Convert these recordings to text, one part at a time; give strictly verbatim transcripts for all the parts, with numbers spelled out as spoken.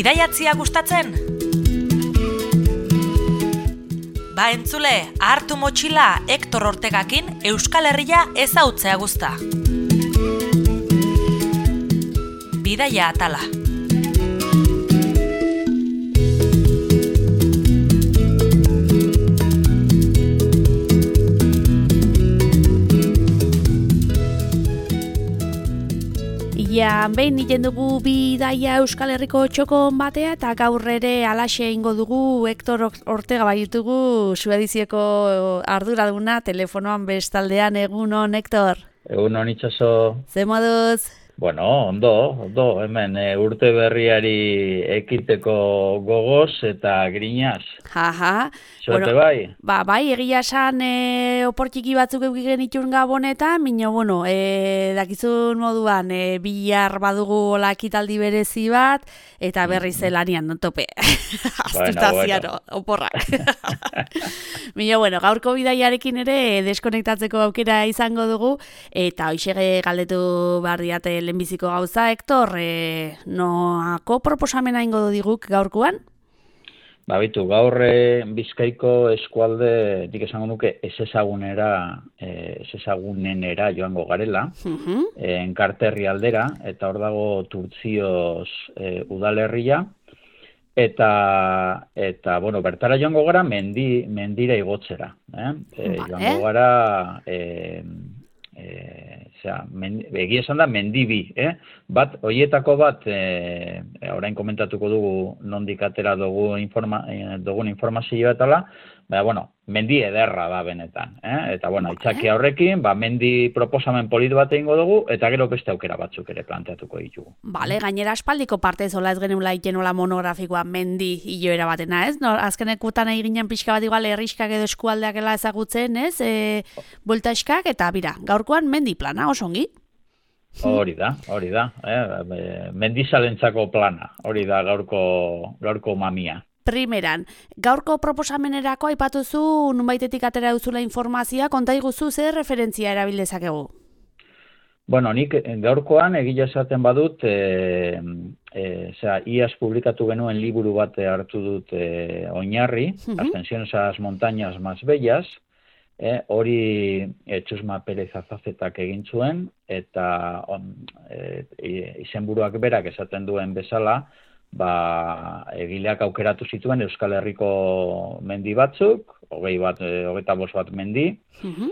Bidaiatzia gustatzen? Ba entzule, hartu motxila Hektor Ortegakin Euskal Herria ezautzea guzta. Bidaia atala. Ja, behin niten dugu bidaia Euskal Herriko txokon batea eta gaur ere alaxe ingo dugu Hektor Ortega baitugu Suedizieko arduraduna telefonoan bestaldean. Egunon, Hektor? Egunon, Itxaso. Ze moduz? Bueno, ondo, ondo, hemen e, urte berriari ekiteko gogoz eta grinaz. Jaja. Zote bueno, bai? Ba, bai, egia esan e, oportiki batzuk eukigen itxun gabonetan, minio, bueno, e, dakizun moduan, e, bihar badugu lakitaldi berezi bat, eta berri zelanian, no tope. Aztutaziano, bueno, oporrak. Minio, bueno, gaurko bidaiarekin ere deskonektatzeko aukera izango dugu, eta hoxe galdetu behar diate lehenbiziko gauza, Hektor, e, noako proposamena ingo du diguk gaurkoan? Ba, bitu, gaur e, Bizkaiko eskualde, dik esango nuke, ez ezagunera, e, ez ezagunenera joango garela, uh-huh. e, enkarterri aldera, eta hor dago Turtzioz e, udalerria, eta, eta, bueno, bertara joango gara mendi, mendira igotzera. Eh? E, vale. Joango gara, e, e, zera, egia esan da mendibi, eh? Bat, hoietako bat, e, orain komentatuko dugu nondik atera dugu informa, e, dugun informazioa etala, baina, bueno, mendi ederra da benetan, eh? Eta, bueno, itxaki horrekin, ba, mendi proposamen polit bat egingo dugu, eta gero beste aukera batzuk ere planteatuko ditugu. Bale, gainera aspaldiko parte zola ez geneula ikenola monografikoa mendi hiloera batena, ez? No, azkenekutan eginen pixka bat igual herriskak edo eskualdeakela ezagutzen, ez? E, Bueltaskak, eta bira, gaurkoan mendi plana, osongi? Hori da, hori da, eh? Mendizalentzako plana, hori da gaurko, gaurko mamia. Primeran, gaurko proposamenerako aipatuzu nunbaitetik atera duzula informazioa, konta iguzu zer referentzia erabil dezakegu? Bueno, nik gaurkoan egia esaten badut, e, e, zera, iaz publikatu genuen liburu bat hartu dut e, oinarri, uh-huh. Ascensiones a las montañas más bellas, e, hori e, Txusma Perez Azazetak egin zuen, eta on, e, izenburuak berak esaten duen bezala, ba, egileak aukeratu zituen Euskal Herriko mendi batzuk, hogei bat, hogeita bost bat mendi, uh-huh.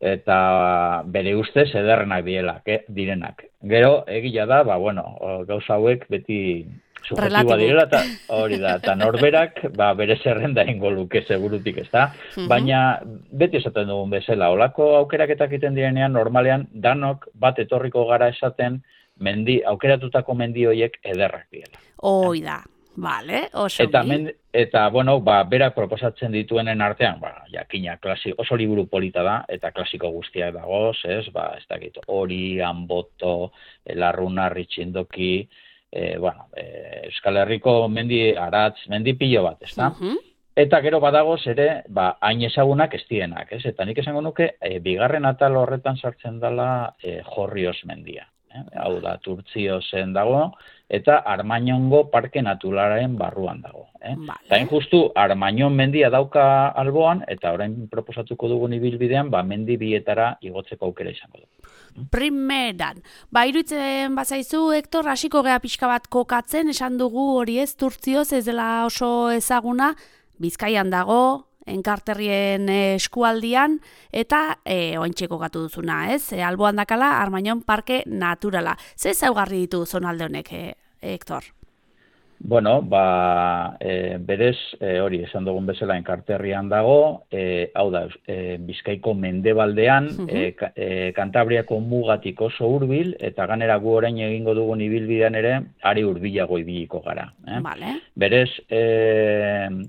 Eta bere ustez ederrenak dielak, eh, direnak. Gero, egila da, ba, bueno, gauza hauek beti subjektiboa direla, eta hori da, eta norberak, ba, bere zerrenda ingo luke segurutik, ez da? Uh-huh. Baina, beti esaten dugun bezala, olako aukeraketak egiten direnean, normalean, danok bat etorriko gara esaten, mendi, aukeratutako mendi horiek ederrak diela. Hoi da, vale, oso eta, men, eta, bueno, ba, berak proposatzen dituenen artean, ba, jakina, klasi, oso liburu polita da, eta klasiko guztiak dagoz, ez, ba, ez dakit, hori, Anboto, Larruna, Ritxindoki, e, bueno, e, Euskal Herriko mendi, aratz, mendi pilo bat, ez da? Uh-huh. Eta gero badagoz ere, ba, hain ezagunak ez dienak, ez? Eta nik esango nuke, e, bigarren atal horretan sartzen dela e, Jorrioz mendia. Eh? Hau da, Turtziozen dago, eta Armañongo parke naturalaren barruan dago. Eh? Vale. Eta justu Armañon mendia dauka alboan, eta orain proposatuko dugun ibilbidean, ba, mendi bietara igotzeko aukera izango du. Primeran, ba, iruditzen bazaizu, Hektor, hasiko gea pixka bat kokatzen, esan dugu hori ez, Turtzioz ez dela oso ezaguna, Bizkaian dago, enkarterrien eskualdian, eta e, ointxeko gatu duzuna, ez? E, alboan dakala, Armañon parke naturala. Ze zaugarri ditu zonalde honek, e, Hektor? Bueno, ba, e, berez, e, hori, esan dugun bezala enkarterrian dago, e, hau da, e, Bizkaiko mendebaldean, uh-huh. e, e, Kantabriako mugatik oso hurbil, eta ganera gu orain egingo dugun ibilbidean ere, ari hurbilago ibiliko gara. Eh? Vale. Berez, e,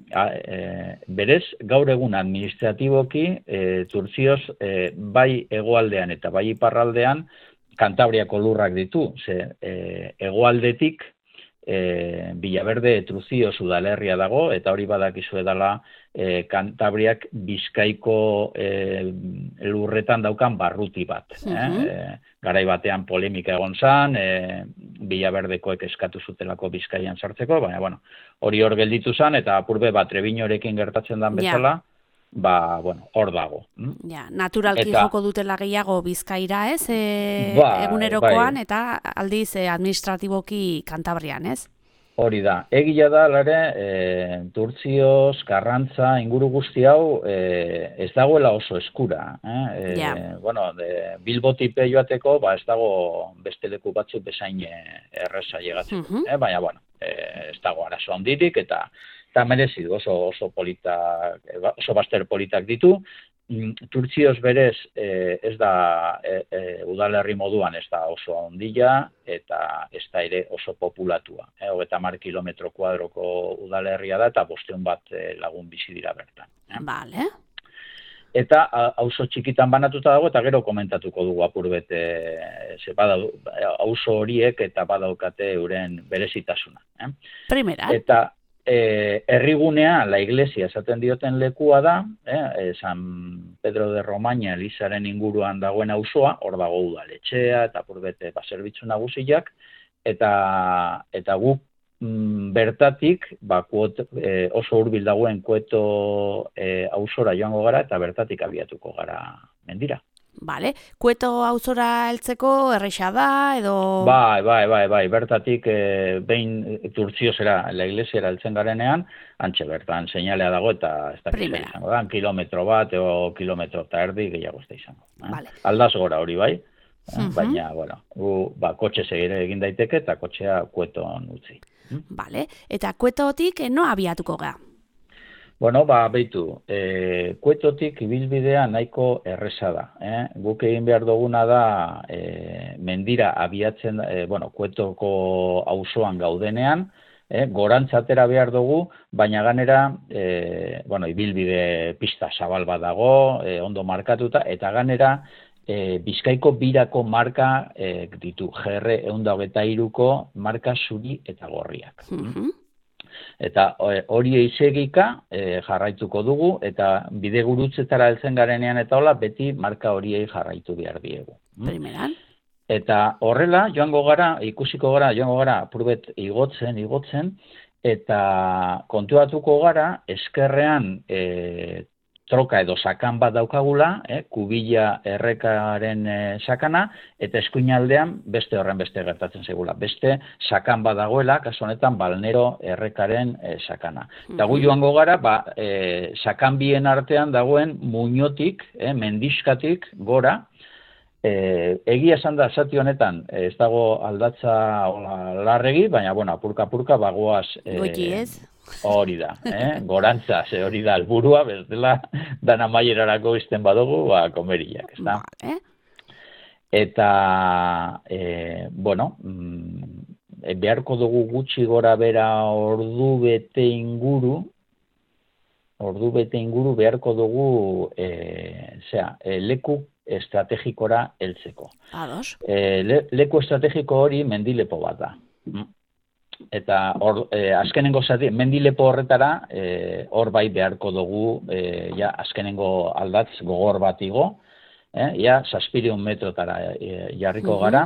a, e, berez, gaur egun administratiboki, e, Turtzioz, e, bai hegoaldean eta bai iparraldean, Kantabriako lurrak ditu, ze e, hegoaldetik, e, Villaverde Truzio udalerria dago, eta hori badakizu edala e, Kantabriak Bizkaiko e, lurretan daukan barruti bat. Mhm. eh? E, garai batean polemika egon zan, e, Villaverdekoek eskatu zutelako Bizkaian sartzeko, baina bueno, hori hor gelditu zan, eta apurbe bat Trebiñorekin gertatzen dan bezala, ba, bueno, hor dago. Ja, naturalki Eta- joko dutela gehiago Bizkaira, ez? E, Bai, egunerokoan, bai. eta aldiz e, administratiboki Kantabrian, ez? Hori da, egia da, lare, e, Turtzioz, Karrantza, inguru guzti hau, e, ez dagoela oso eskura. Eh? E, Ja. Bueno, de, Bilbotipe joateko, ba, ez dago beste leku batzuk bezain eh, erreza llegatzeko. Mhm. eh? Baina, bueno, e, ez dago arazo handirik, eta eta merezi du, oso, oso politak, oso baster politak ditu. Mm, Turtzioz berez e, ez da e, e, udalerri moduan ez da oso handia eta ez da ere oso populatua. E, hogeita hamar kilometro kuadroko udalerria da eta bostehun bat e, lagun bizi dira bertan. E. Vale. Eta a- auzo txikitan banatuta dago eta gero komentatuko dugu apurbet e, ze badau, auzo horiek eta badaukate euren berezitasuna. E. Primera. Eta eh, herrigunea, la iglesia esaten dioten lekua da, eh, San Pedro de Romaña Elizaren inguruan dagoen auzoa, hor dago udaletxea eta purbete baserbitzu nagusiak, eta eta guk mm, bertatik ba, kuot, eh, oso hurbil dagoen Kueto eh, auzora joango gara eta bertatik abiatuko gara mendira. Vale. Kueto auzora heltzeko erresa da, edo... Bai, bai, bai, bai, bertatik e, behin Turtziozera, la iglesiara heltzen garenean, antxe bertan seinalea dago eta ez da Primera. izango da, kilometro bat o kilometro eta erdi gehiago ez da izango. Eh? Vale. Aldaz gora hori bai, eh? Mhm. Baina, bueno, gu, ba, kotxe segire egin daiteke eta kotxea Kueton utzi. Vale. Eta Kuetotik eh, no abiatuko ga? Bueno, ba, beitu, e, Kuetotik ibilbidea nahiko erresa da. Eh? Guk egin behar duguna da e, mendira abiatzen, e, bueno, Kuetoko auzoan gaudenean, eh? gorantzatera behar dugu, baina ganera, e, bueno, ibilbide pista zabal bat dago, e, ondo markatuta, eta ganera, e, Bizkaiko birako marka e, ditu, G R ehun eta hogeita hiruko marka zuri eta gorriak. Mhm. Eta hori eizegika e, jarraituko dugu, eta bide gurutzetara heltzen garenean eta hola, beti marka horiei jarraitu behar diegu. Primeran. Eta horrela, joango gara, ikusiko gara, joango gara, apurbet igotzen, igotzen, eta kontuatuko gara, eskerrean e, troka edo sakan bat daukagula, eh, kubila errekaren e, sakana, eta eskuinaldean beste horren beste gertatzen zegula. Beste sakan bat dagoela, kasu honetan balnero errekaren e, sakana. Eta gu joango gara, ba, e, sakan bien artean dagoen muñotik, eh, mendiskatik gora, e, egia esan da zati honetan, ez dago aldatza hola, larregi, baina, bueno, apurka-apurka bagoaz... E, Goiti ez? Hori da, eh? Gorantza, ze hori da helburua, bestela dan amaierarako izten badugu, ba, komeriak, ez da? Vale. Eta, e, bueno, mm, beharko dugu gutxi gora bera ordu bete inguru, ordu bete inguru beharko dugu, e, zera, e, leku estrategikora heltzeko. Ados. E, le, leku estrategiko hori mendilepo bat da. Mm. Eta hor, eh, azkenengo zati, mendilepo horretara, eh, hor bai beharko dugu, eh, ja, azkenengo aldatz gogor bat igo, eh, ja, zazpireun metrotara eh, jarriko Mhm. gara,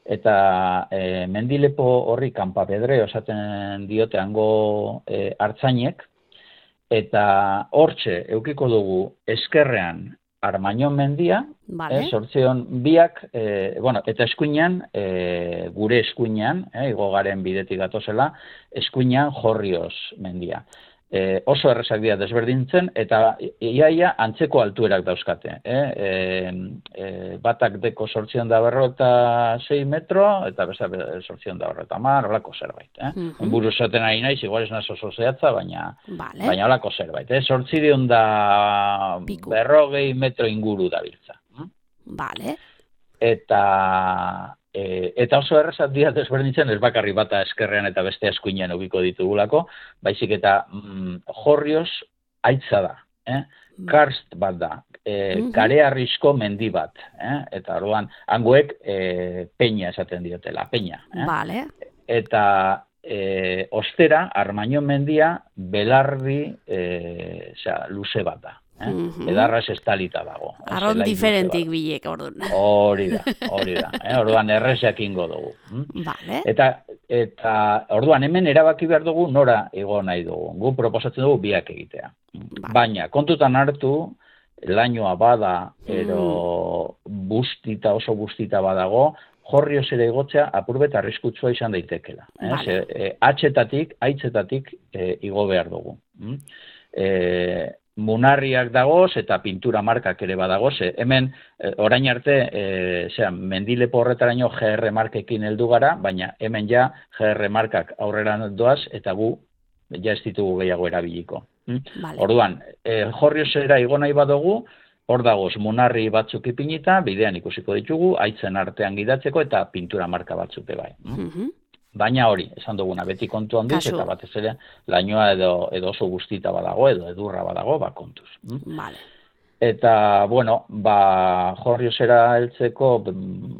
eta eh, mendilepo horri kanpapedre osaten diote hango eh, hartzainek, eta hortxe eukiko dugu eskerrean Armañon mendia, Vale. eh, sortzion biak, eh, bueno, eta eskuinean, eh, gure eskuinean, eh, igogaren bidetik gatozela, eskuinean Jorrioz mendia. Eh, oso errezak dira desberdintzen, eta iaia antzeko altuerak dauzkate. Eh? E, e, batak deko sortzion da berrota sei metro, eta besta sortzion da berrota mar, olako zerbait. Eh? Mhm. Buru esaten ari naiz, igual ez naz oso zehatza, baina, Vale. baina olako zerbait. Eh? Sortzideon da Piku. berrogei metro inguru dabiltza. Vale. Eta e, eta oso errezat dira desberdintzen, ez bakarri bata eskerrean eta beste eskuinean ubiko ditugulako, baizik eta mm, Jorrioz aitza da, eh? Karst bat da, e, Mhm. karearrizko mendi bat, eh? Eta orduan, hangoek e, peña esaten diotela, peña. Eh? Vale. Eta e, ostera, Armaño mendia belardi e, zera, luze bat da. Eh? Mm-hmm. Edarraz estalita dago. Arron diferentik bilek, orduan. Hori da, hori da. Eh? Orduan errezeak ingo dugu. Hm? Vale. Eta, eta orduan hemen erabaki behar dugu nora igo nahi dugu. Gu proposatzen dugu biak egitea. Vale. Baina, kontutan hartu, lainoa bada, ero mm. bustita, oso bustita badago, jorrioz ere igotzea apurbet arriskutsua izan daitekela. Eh? Vale. E, atxetatik, aitzetatik e, igo behar dugu. Hm? E, Munarriak dagoz eta pintura markak ere badagoz. E, hemen, e, orain arte, e, zera, mendilepo horretaraino G R markekin heldu gara, baina hemen ja G R markak aurrera doaz eta gu ja ez ditugu gehiago erabiliko. Hm? Vale. Orduan, e, jorriozera igo nahi badugu, hor dagoz munarri batzuk ipinita, bidean ikusiko ditugu, aitzen artean gidatzeko eta pintura marka batzuk bai. Mm-hmm. Baina hori, esan duguna, beti kontu handiz, eta batez ere, lainoa edo, edo oso guztita badago, edo edurra badago, ba kontuz. Vale. Eta, bueno, ba, jorriozera heltzeko,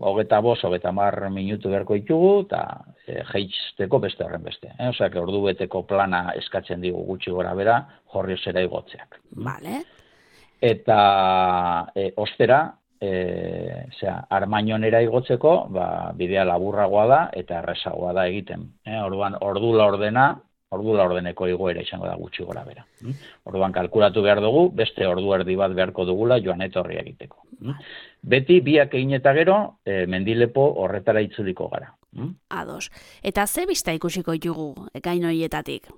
hogeta bost, hogeta mar minutu beharko ditugu, eta e, jeizteko beste horren beste. Eh? Osea, ordu beteko plana eskatzen digu gutxi gora bera, jorriozera igotzeak. Vale. Eta e, ostera, E, zera, Armañonera igotzeko, ba, bidea laburragoa da eta errezagoa da egiten. E, orduan, ordu laurdena, ordu laurdeneko igoera izango da gutxi gora bera. Mm? Orduan, kalkulatu behar dugu, beste ordu erdi bat beharko dugula joan etorri egiteko. Mm? Beti, biak egin eta gero, e, mendilepo horretara itzuliko gara. Mm? Ados. Eta ze bista ikusiko ditugu gainoietatik?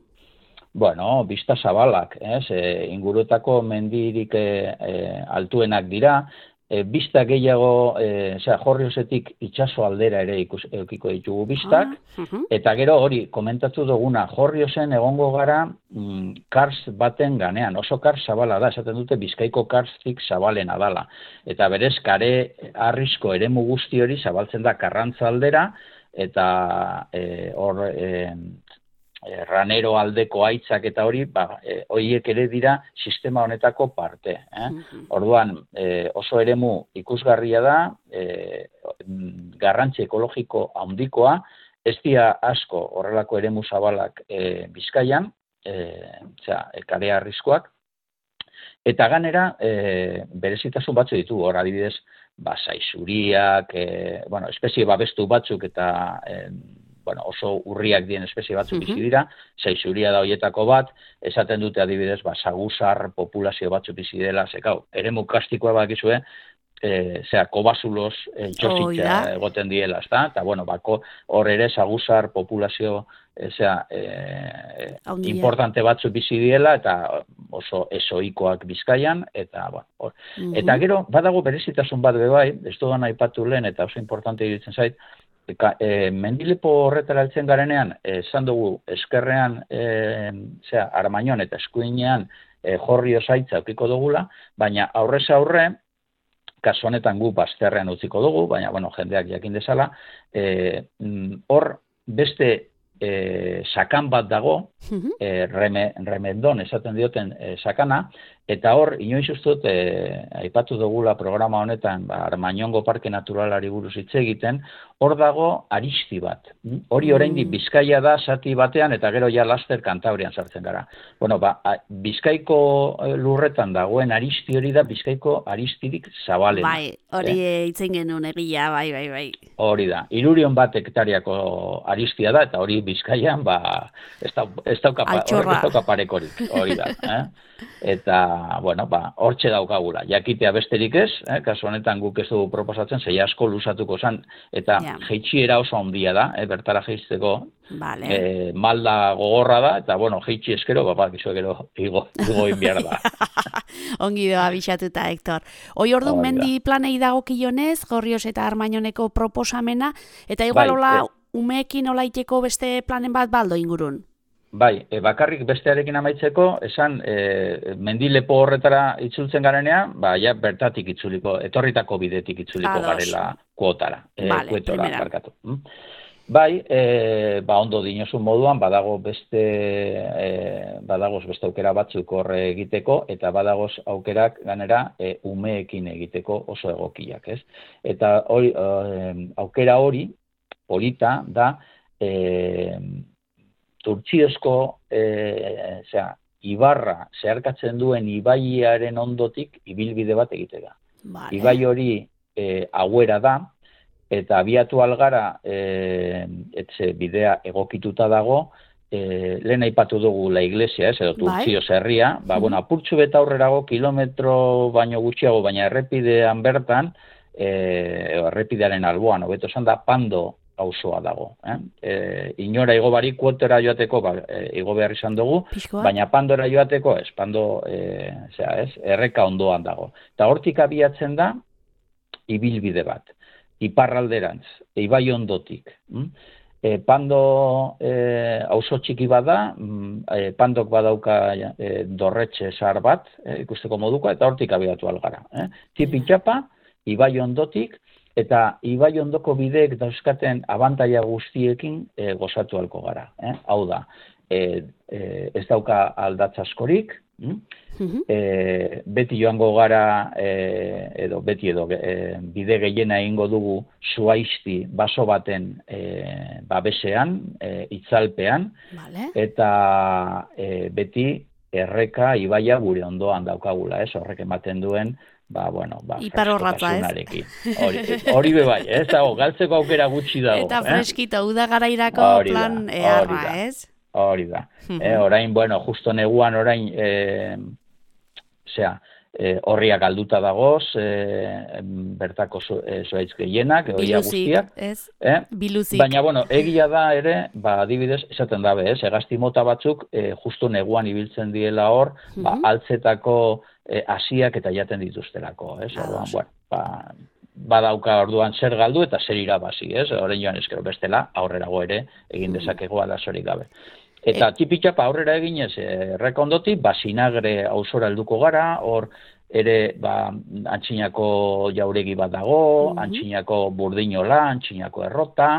Bueno, bista zabalak, ez? E, ingurutako mendirik e, e, altuenak dira, E, bista gehiago, e, zera, jorriozetik itxaso aldera ere ikus, eukiko ditugu bistak, ah, uh-huh. Eta gero hori, komentatu duguna, jorriozen egongo gara mm, kars baten ganean, oso kars zabala da, esaten dute Bizkaiko karstik zabalena dala, eta berez kare arrisko eremu guzti hori zabaltzen da Karrantza aldera, eta e, hor... E, ranero aldeko aitzak eta hori, ba, e, horiek ere dira sistema honetako parte. Eh? Mm-hmm. Orduan, e, oso eremu ikusgarria da, e, garrantzi ekologiko handikoa, ez dira asko horrelako eremu zabalak e, Bizkaian, e, zera, kare arriskoak, eta ganera, e, berezitasun batzu ditu, hor adibidez, ba, zaizuriak, e, bueno, espezie babestu batzuk eta... E, bueno, oso urriak dien espezie batzuk bizi dira, zaizuria da hoietako bat, esaten dute adibidez, ba, saguzar populazio batzuk bizi dela, zekau, eremu kastikoa bakizue, e, zera, kobazulos e, txositza oh, egoten diela, ezta? Eta, bueno, bako, hor ere saguzar populazio, e, zera, e, importante batzuk bizi diela, eta oso esoikoak Bizkaian, eta, bueno, hor. Mm-hmm. Eta gero, badago berezitasun bat bebai, ez dudan aipatu lehen, eta oso importante iruditzen zait, Eka, e, mendilepo horretara heltzen garenean, esan dugu eskerrean, e, zera, Armañon eta eskuinean e, jorrio zaitza eukiko dugula, baina aurrez aurre, kasu honetan gu bazterrean utziko dugu, baina bueno, jendeak jakin dezala, hor e, beste e, sakan bat dago, e, reme, remendon esaten dioten e, sakana, eta hor, inoiz ustut, e, aipatu dugula programa honetan, ba, Armañongo Parke Naturalari buruz hitz egiten, hor dago aristi bat. Hori oraindik Bizkaia da zati batean, eta gero ja laster Kantabrian sartzen gara. Bueno, ba, Bizkaiko lurretan dagoen aristi hori da Bizkaiko aristirik zabalena. Bai, hori eh? Itzen genuen egia, bai, bai, bai. Hori da, hirurion bat hektariako aristia da, eta hori Bizkaian, ba, ez dauka parekorik, hori da. Eh? Eta, bueno, ba, hortxe daukagula. Jakitea besterik ez, eh? Kasu honetan guk ez dugu proposatzen, zei asko lusatuko zen, eta ja. Jeitxiera oso handia da, eh? Bertara jeizteko, vale. eh, malda gogorra da, eta, bueno, jeitxi eskero, bapa, gizu gero igo, igo inbiar da. Ongi doa bisatuta, Hector. Hoi ordu mendi planei dagokionez, Gorrioz eta Armañoneko proposamena, eta igual bai, hola, eh, umeekin olaiteko beste planen bat baldo ingurun. Bai, e, bakarrik bestearekin amaitzeko, esan e, mendilepo horretara itzultzen garenean, ba, ja, bertatik itzuliko, etorritako bidetik itzuliko Ados. Garela kuotara, e, vale, kuetora, barkatu. Bai, e, ba, ondo dinozun moduan, badago beste, e, badagoz beste aukera batzuk horre egiteko, eta badagoz aukerak ganera e, umeekin egiteko oso egokiak, ez? Eta hori, e, aukera hori, polita, da, e, Turtziozko, e, zera, ibarra zeharkatzen duen ibaiaren ondotik ibilbide bat egitega. Vale. Ibai hori e, hauera da, eta abiatu algara e, etxe bidea egokituta dago, e, lehen aipatu dugu la iglesia, ez, edo Turtzioz herria, ba, bueno, apurtxu beta aurrerago, kilometro baino gutxiago, baina errepidean bertan, e, errepidearen alboan, hobeto esan da, Pando auzoa dago. Eh? E, inora igo barik kuotera joateko, ba, e, igo behar izan dugu, Piskoa. baina Pandora joateko, ez, Pando, e, zera, ez, erreka ondoan dago. Eta hortik abiatzen da, ibilbide bat. Iparralderantz, ibai ondotik. E, Pando e, auzo txiki bada, e, Pandok badauka e, dorretxe zahar bat, e, ikusteko moduko, eta hortik abiatu algara. Eh? Tipi-txapa, ibai ondotik, eta ibai ondoko bideek dauzkaten abantaila guztiekin e, gozatu alko gara. Eh? Hau da, e, e, ez dauka aldatz askorik, hm? E, beti joango gara, e, edo beti edo e, bide gehiena egingo dugu zuaizti baso baten e, babesean, e, itzalpean, vale. Eta e, beti erreka ibaia gure ondoan daukagula, ez? Horrek ematen duen, ba, bueno, ba, freskotasunarekin. Hori, hori bebai, ez dago, galtzeko aukera gutxi dago. Eta freskito, eh? Uda garairako plan eharra, ez? Hori da. eh, orain, bueno, justo neguan orain, e, osea, e, horriak alduta dagoz, e, bertako zuaitz e, gehienak, oia guztiak. Ez? Eh? Biluzik. Baina, bueno, egia da ere, ba, adibidez, esaten dabe, ez? Egazti mota batzuk, e, justo neguan ibiltzen diela hor, uh-huh. ba, altzetako e, asiak eta jaten dituztelako, ez? Ah, Orduan, bueno, ba, badauka orduan zer galdu eta zer irabazi, ez? Orain joan eskero bestela, aurrerago ere, egin dezakego arazorik gabe. Eta tipitxapa aurrera eginez, erreka ondotik, ba, Sinagre auzora helduko gara, hor ere ba, antxinako jauregi bat dago, mm-hmm. antxinako burdinola, antxinako errota,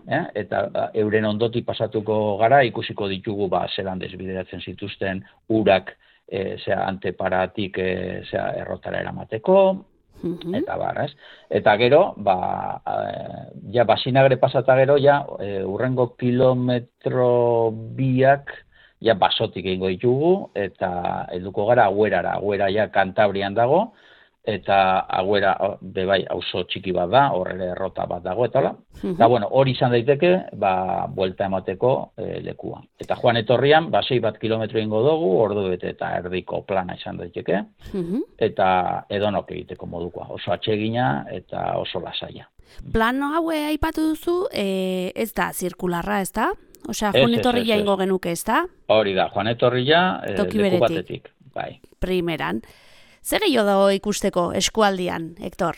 eh? Eta ba, euren ondotik pasatuko gara, ikusiko ditugu ba, zelan desbideratzen zituzten urak e, zera, anteparatik e, zera, errotara eramateko, mm-hmm. eta bar, ez? Eta gero, ba, e, ja, ba, Sinagre pasata gero, ja, e, urrengo kilometro biak, ja, basotik egingo ditugu, eta helduko gara Agüerara, Agüera ja Kantabrian dago, eta Agüera, bebai, auzo txiki bat da, horre errota bat dago, eta la. Uh-huh. Eta, bueno, hori izan daiteke, ba, buelta emateko e, lekua. Eta joan etorrian, ba, sei bat kilometro ingo dugu, ordu bete eta erdiko plana izan daiteke, uh-huh. eta edonok egiteko modukoa, oso atsegina eta oso lasaia. Plano haue aipatu duzu, e, ez da, zirkularra, ez da? Osea, Joan Etorria ingo genuke, ez da? Hori da, Joan Etorria e, leku batetik. Bai. Primeran. Zer gehiago dago ikusteko eskualdian, Hektor?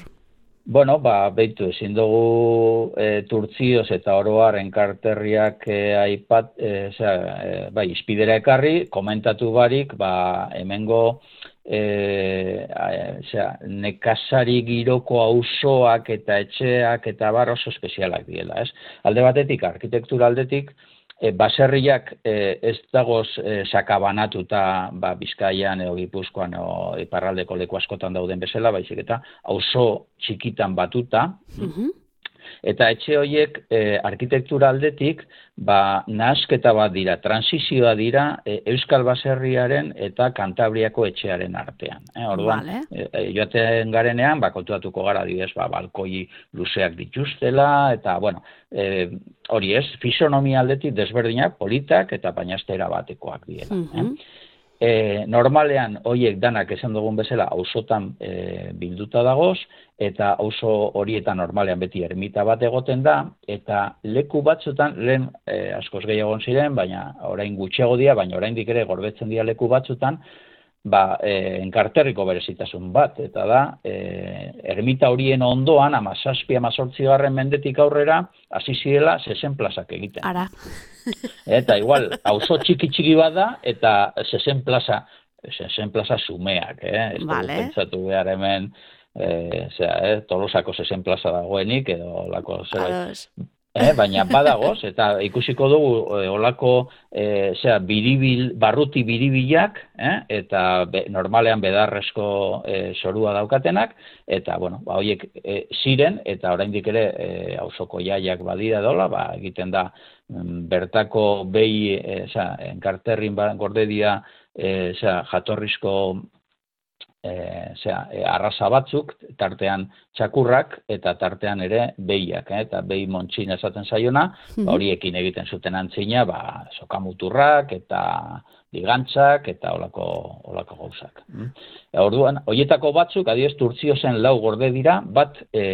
Bueno, ba, behitu, ezin dugu e, Turtzioz eta oroar enkarterriak e, aipat, e, zera, e, bai, izpidera ekarri, komentatu barik, ba, hemengo e, zera, nekazari giroko auzoak eta etxeak eta bar oso espezialak diela, ez? Alde batetik, arkitektura aldetik, E, baserriak e, ez dagoz e, sakabanatuta ba, Bizkaian edo Gipuzkoan edo iparraldeko leku askotan dauden bezala, baizik eta auzo txikitan batuta, uh-huh. eta etxe horiek e, arkitektura aldetik ba, nahasketa bat dira, transizioa dira e, Euskal Baserriaren eta Kantabriako etxearen artean. E, orduan, vale. e, joaten garenean, ba, kontuatuko gara didez, ba, balkoi luzeak dituztela, eta, bueno, e, hori ez, fisonomia aldetik desberdinak, politak eta bainaztera batekoak diela. Uh-huh. eh? E, normalean, horiek danak esan dugun bezala, auzotan e, bilduta dagoz, eta auzo horietan normalean beti ermita bat egoten da, eta leku batzutan, lehen e, askoz gehiago ziren, baina orain gutxiago dira, baina oraindik ere gorbetzen dira leku batzutan, ba, e, enkarterriko berezitasun bat, eta da, e, ermita horien ondoan, amazazpi, amazortzi garren mendetik aurrera, hasi zirela zesen plazak egiten. Ara. Eta igual, auzo txiki txiki bat da, eta zesen plaza, zesen plaza sumeak, eh? Ez vale. Pentsatu behar hemen, e, zera, eh? Tolosako zesen plaza dagoenik, edo lako zerbait. Eh, baina badagoz, eta ikusiko dugu e, olako e, zera, biribil, barruti biribilak, eh, eta be, normalean bedarrezko e, sorua daukatenak, eta, bueno, ba, horiek e, ziren, eta oraindik ere e, auzoko jaiak badira dola, ba, egiten da m, bertako behi, e, zera, enkarterrin ba, gorde dira, e, zera, jatorrizko E, zera, e, arrasa batzuk, tartean txakurrak eta tartean ere behiak, eh? Eta behi montxin esaten zaiona, mm-hmm. ba, horiekin egiten zuten antzina, ba, sokamuturrak eta ligantzak eta olako, olako gauzak. Mm? E, orduan, horietako batzuk, adiez, Turtziozen lau gorde dira, bat e,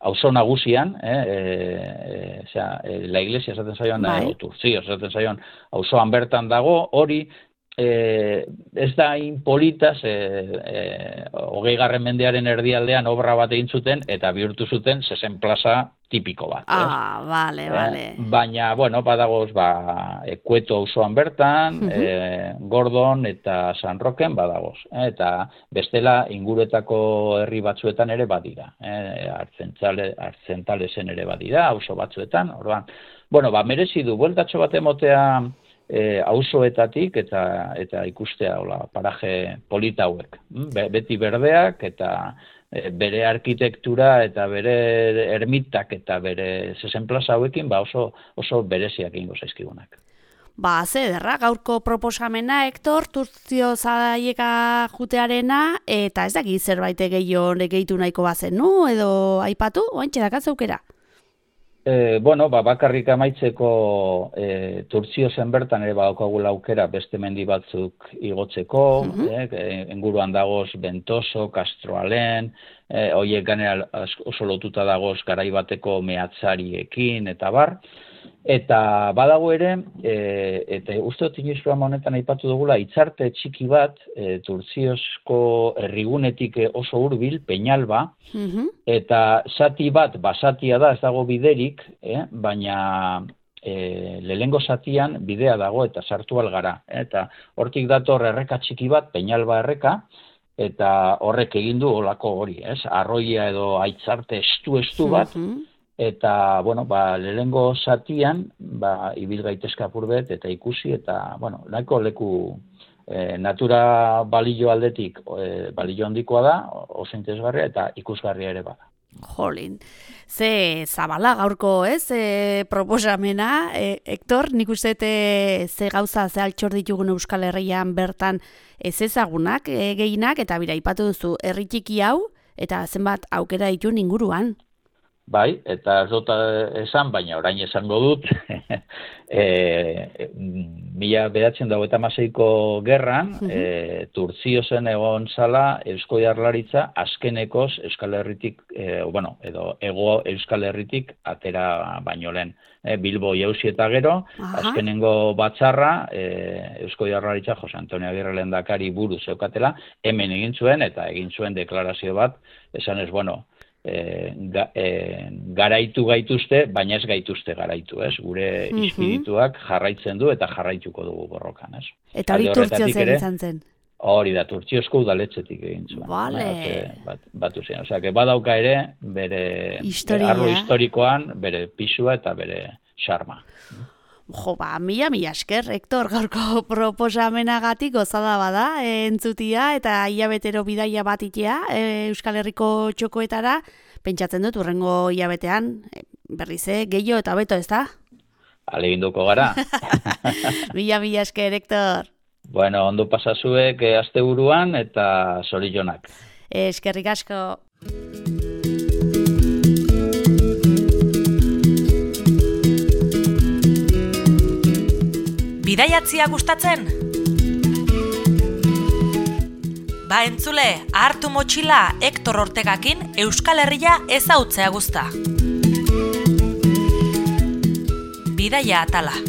auzo nagusian, eh, e, e, zera, e, la iglesia esaten zaion, eh, o Turtzio esaten zaion, auzoan bertan dago, hori, Eh, ez da inpolitaz, eh, eh, hogei garren mendearen erdialdean obra bat egin zuten, eta bihurtu zuten zezen plaza tipiko bat. Ah, eh? Vale, vale. Eh, baina, bueno, badagoz, ba, Kueto auzoan bertan, uh-huh. eh, Gordon eta San Roken badagoz. Eh, eta bestela inguruetako herri batzuetan ere badira. Eh, Artzentzale, Artzentalesen ere badira, auzo batzuetan. Orduan, bueno, ba, merezi du, bueltatxo bat emotea, E, auzoetatik eta eta ikustea hola paraje polita hauek. Be, beti berdeak eta e, bere arkitektura eta bere ermitak eta bere zezen plaza hauekin ba oso oso bereziak ingo zaizkigunak. Ba, ze derra, gaurko proposamena, Hektor, Turtzio zaieka jutearena, eta ez daki zerbait gehiago gehitu nahiko bazenu, edo aipatu, oantxe dakatzaukera? E, bueno, ba, bakarrik amaitzeko e, Turtziozen bertan ere badaukagula aukera beste mendi batzuk igotzeko, uh-huh. eh, inguruan dagoz Bentoso, Castroalen, eh, horiek ganera oso lotuta dagoz garai bateko mehatzariekin eta bar, eta badago ere, e, eta uste dut inoizko honetan aipatu dugula, hitzarte txiki bat, e, Turtziozko herrigunetik oso hurbil, Peñalba, uh-huh. eta zati bat, basatia da, ez dago biderik, eh, baina e, lehengo zatian bidea dago eta sartu algara. Eh, eta hortik dator erreka txiki bat, Peñalba erreka, eta horrek egin du olako hori, ez? Arroia edo aitzarte estu-estu bat, uh-huh. Eta, bueno, ba, lehengo zatian, ba, ibil gaitezka apurbet, eta ikusi, eta, bueno, nahiko leku e, natura balio aldetik, e, balio handikoa da, oso interesgarria, eta ikusgarria ere bada. Jolin, ze zabala gaurko, ez, e, proposamena, e, Hektor, nik uste ze gauza, ze altxor ditugun Euskal Herrian bertan ez ezagunak, e, gehienak, eta bira, ipatu duzu, herri txiki hau, eta zenbat aukera ditun inguruan. Bai, eta ez dut esan, baina orain esango dut, e, mila bederatziehun eta hogeita hamaseiko gerran, uh-huh. e, Turtziozen egon zala Eusko Jaurlaritza azkenekoz Euskal Herritik, e, bueno, edo ego Euskal Herritik atera baino lehen. E, Bilbo jauzi eta gero, uh-huh. azkenengo batzarra, e, Eusko Jaurlaritza Jose Antonio Agirre lehendakari buru zeukatela, hemen egin zuen, eta egin zuen deklarazio bat, esan ez, bueno, E, ga, e, garaitu gaituzte, baina ez gaituzte garaitu, ez? Gure mm-hmm. espirituak jarraitzen du eta jarraituko dugu borrokan, ez? Eta hori Turtzio zer izan zen? Hori da, Turtziozko udaletxetik egin zuen. Vale. Bat, batu zen, osea, que badauka ere, bere Historia. arlo historikoan, bere pisua eta bere xarma. Jo, ba, mila, mila esker, Hektor, gaurko proposamenagatik gozada bada, e, entzutia, eta hilabetero bidaia bat itea, e, Euskal Herriko txokoetara, pentsatzen dut, urrengo hilabetean, e, berrize, gehiago eta beto, ez da? Aleginduko gara. Mila, mila esker, Hektor. Bueno, ondo pasazuek e, asteburuan eta zorionak. E, eskerrik asko. Bidaiatzia gustatzen? Ba entzule, hartu motxila Hektor Ortegakin Euskal Herria ezautzea guzta. Bidaia atala.